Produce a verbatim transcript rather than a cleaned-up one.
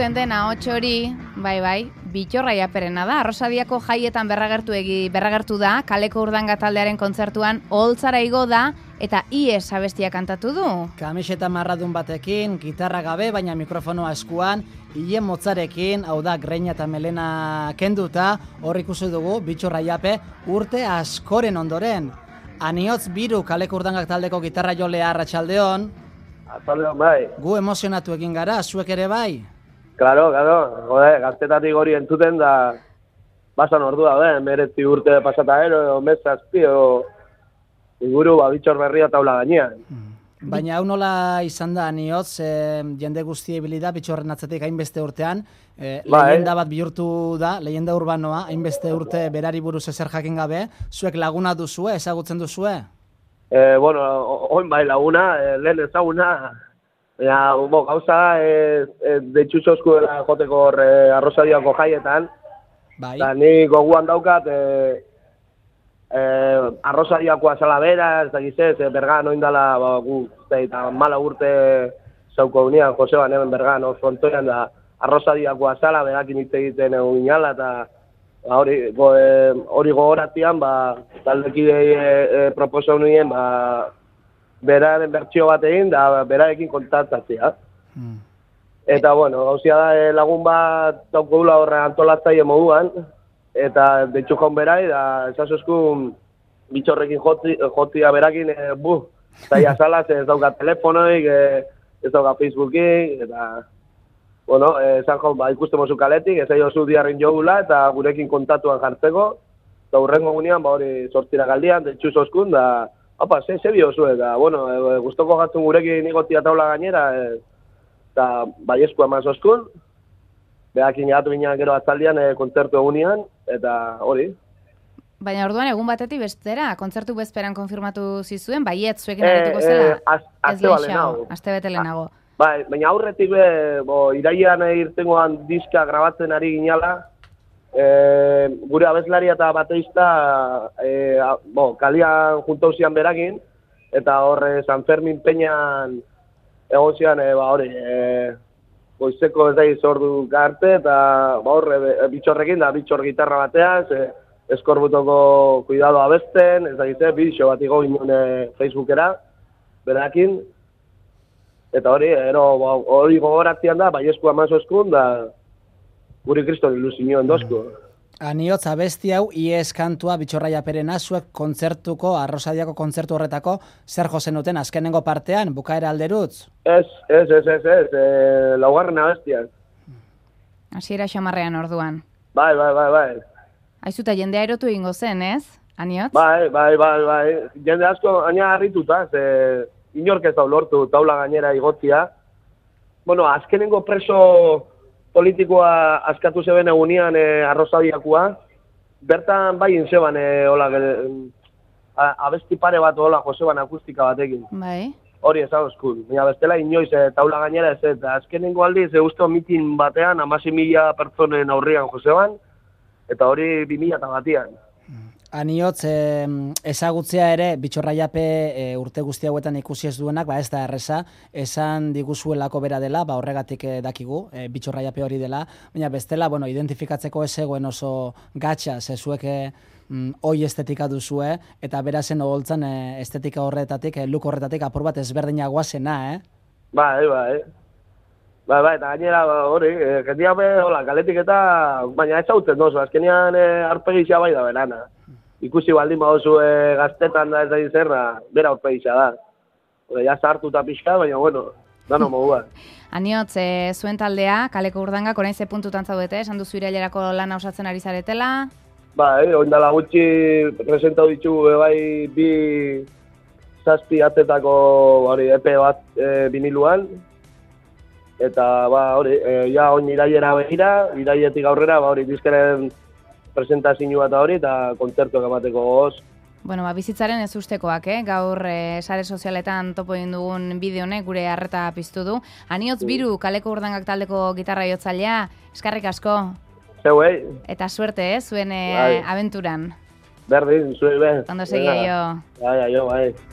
entzuten den ahots hori, bai bai, Bittor Aiaperena da. Arrosadiako jaietan berragertu egi, berragertu da, Kaleko Urdanga taldearen kontzertuan oholtzara igo da eta ies abestia kantatu du. Kamiseta marradun batekin, gitarra gabe, baina mikrofonoa eskuan, hile motzarekin, hau da, greina eta melena kenduta, hor ikusi dugu, Bittor Aiape urte askoren ondoren. Aniotz Biru Kaleko Urdangak taldeko gitarra jolea, arratsaldeon. Arratsaldeon, bai. Gu emozionatu egin gara, zuek ere bai? Claro, claro, jode, gaztetatik hori entzuten da, basan ordua, be, meretzi urte pasata ero, mezazpi, o, inguru, ba, Bittor berria taula gainean. Baina hau nola izan da, Aniotz, e, jende guzti ebili da, Bittorren atzetik hainbeste urtean, e, ba, leyenda bat bihurtu da, leyenda urbanoa, hainbeste urte berari buruz ezer jakin gabe, zuek laguna duzue, ezagutzen duzue? E, bueno, oin bai laguna, e, lehen ezaguna, ja, bo, gauza, e, e, deitxutxo eskuela joteko hor e, Arrosadiako jaietan, bai. Eta ni goguan daukat, e, e, Arrosadiakoa zala bera, ez da gizez, e, Bergan oindala, ba, gu, eta mala urte zauko unian, Joseban hemen Bergan, hor frontoian da, Arrosadiakoa zala, berakin hitz egiten egun inala, eta hori go, e, hori gogoratian, ba, taldekidei e, e, proposau nuen, ba, beraren bertsio bat egin, da berarekin kontaktatzea. Hmm. Eta, bueno, gauzia da e, lagun bat daukagula horre antolatzaile moduan, eta deitxu jaun berai, da esazuzkun Bittorrekin joti, jotia berakin, e, buh, zaila salaz, ez dauka telefonoik, e, ez dauka Facebookik, eta, bueno, esan jaun, ba, ikusten mozu kaletik, ez aio zu diarrin jogula, eta gurekin kontatuan jartzeko, eta hurrengo gunean, ba, hori sortira galdian, deitxu zoskun, da, Opa, ze, ze biozu, eta, bueno, e, guztoko gatzun gurekin igotia taula gainera, e, eta baiesku eman zoskun, behakin jagatu ginean gero atzaldian e, kontzertu egunean, eta hori. Baina orduan egun batetik bestera, kontzertu bezperan konfirmatu zizuen, baiet zuekin arituko zela? E, az, azte bale nago. Azte bete lehenago. Bai, baina aurretik be, bo, iraian irtengoan diska grabatzen ari ginala, E, gure abeslaria eta bateista e, a, bo, kalian juntauzian berakin, eta horre San Fermin Peñan egon zian, e, ba, hori, e, goizeko ez da izordu garte, eta ba, horre e, Bittorrekin, da Bittor gitarra bateaz, e, eskorbutoko kuidado abesten, ez da izte, bidixo bat igo ginen e, Facebookera, berakin, eta hori, ero, ba, hori gogoratzean da, baiesku amazo eskun, da, guri kriston ilusioen dozko. Aniotz, abesti hau, ies kantua Bittor Aiaperena, zuek kontzertuko, Arrosadiako kontzertu horretako, zer jozen duten azkenengo partean, bukaera alderutz? Ez, ez, ez, ez, ez, e, laugarren abestian. Hasiera xamarrean orduan. Bai, bai, bai, bai. Aizuta, jendea erotu ingo zen, ez, Aniotz? Bai, bai, bai, bai. Jende asko, aina harrituta, ze inork ez da lortu taula gainera igotzia. Bueno, azkenengo preso politikoa askatu zeben egunean e, Arrosadiakoa, bertan bai inzeban e, hola, e, abesti pare bat hola Joseban akustika batekin. Bai. Hori ez hauzkun. Baina bestela inoiz e, taula gainera ez, eta azkenengo aldiz e, uste mitin batean amasi mila pertsonen aurrian Joseban, eta hori bi mila eta batian. Aniotz, eh, ezagutzea ere, Bittor Aiape eh, urte guzti hauetan ikusi ez duenak, ba ez da erreza, esan diguzuelako bera dela, ba horregatik eh, dakigu, eh, Bittor Aiape hori dela, baina bestela, bueno, identifikatzeko ez zegoen oso gatxa, zezuek eh, mm, oi estetika duzue, eta berazen oholtzan eh, estetika horretatik, eh, look horretatik apur bat ezberdinagoa zena, eh? Bai, bai, bai, bai, eta gainera hori, eh, jendia be, hola, kaletik eta, baina ez hautzen dozu, azkenean eh, arpegizia bai da berana. Ikusi baldin badozu e, gaztetan da ez da izerra, bera aurpegisa da. Ore, ja zartu eta pixka, baina bueno, dano modua. Aniotz, e, zuen taldea, Kaleko Urdangak, orain ze puntutan zaudete, esan duzu irailerako lana osatzen ari zaretela? Ba, e, oindala gutxi presentau ditugu bai bi zazpi atetako hori, epe bat e, biniluan. Eta ba, hori, e, ja oin irailera begira, irailetik aurrera, ba, hori, diskaren presentazioa eta hori, eta kontzertuak emateko goz. Bueno, ba, bizitzaren ez ustekoak, eh? Gaur eh, sare sozialetan topo egin dugun bideo honek gure harreta piztu du. Aniotz Biru, Kaleko Urdangak taldeko gitarra jotzailea, eskarrik asko. Zeu, eh? Eta suerte, eh? Zuen eh, abenturan. Berdin, zuen, ben. Ondo segi jo. Bai, jo, bai.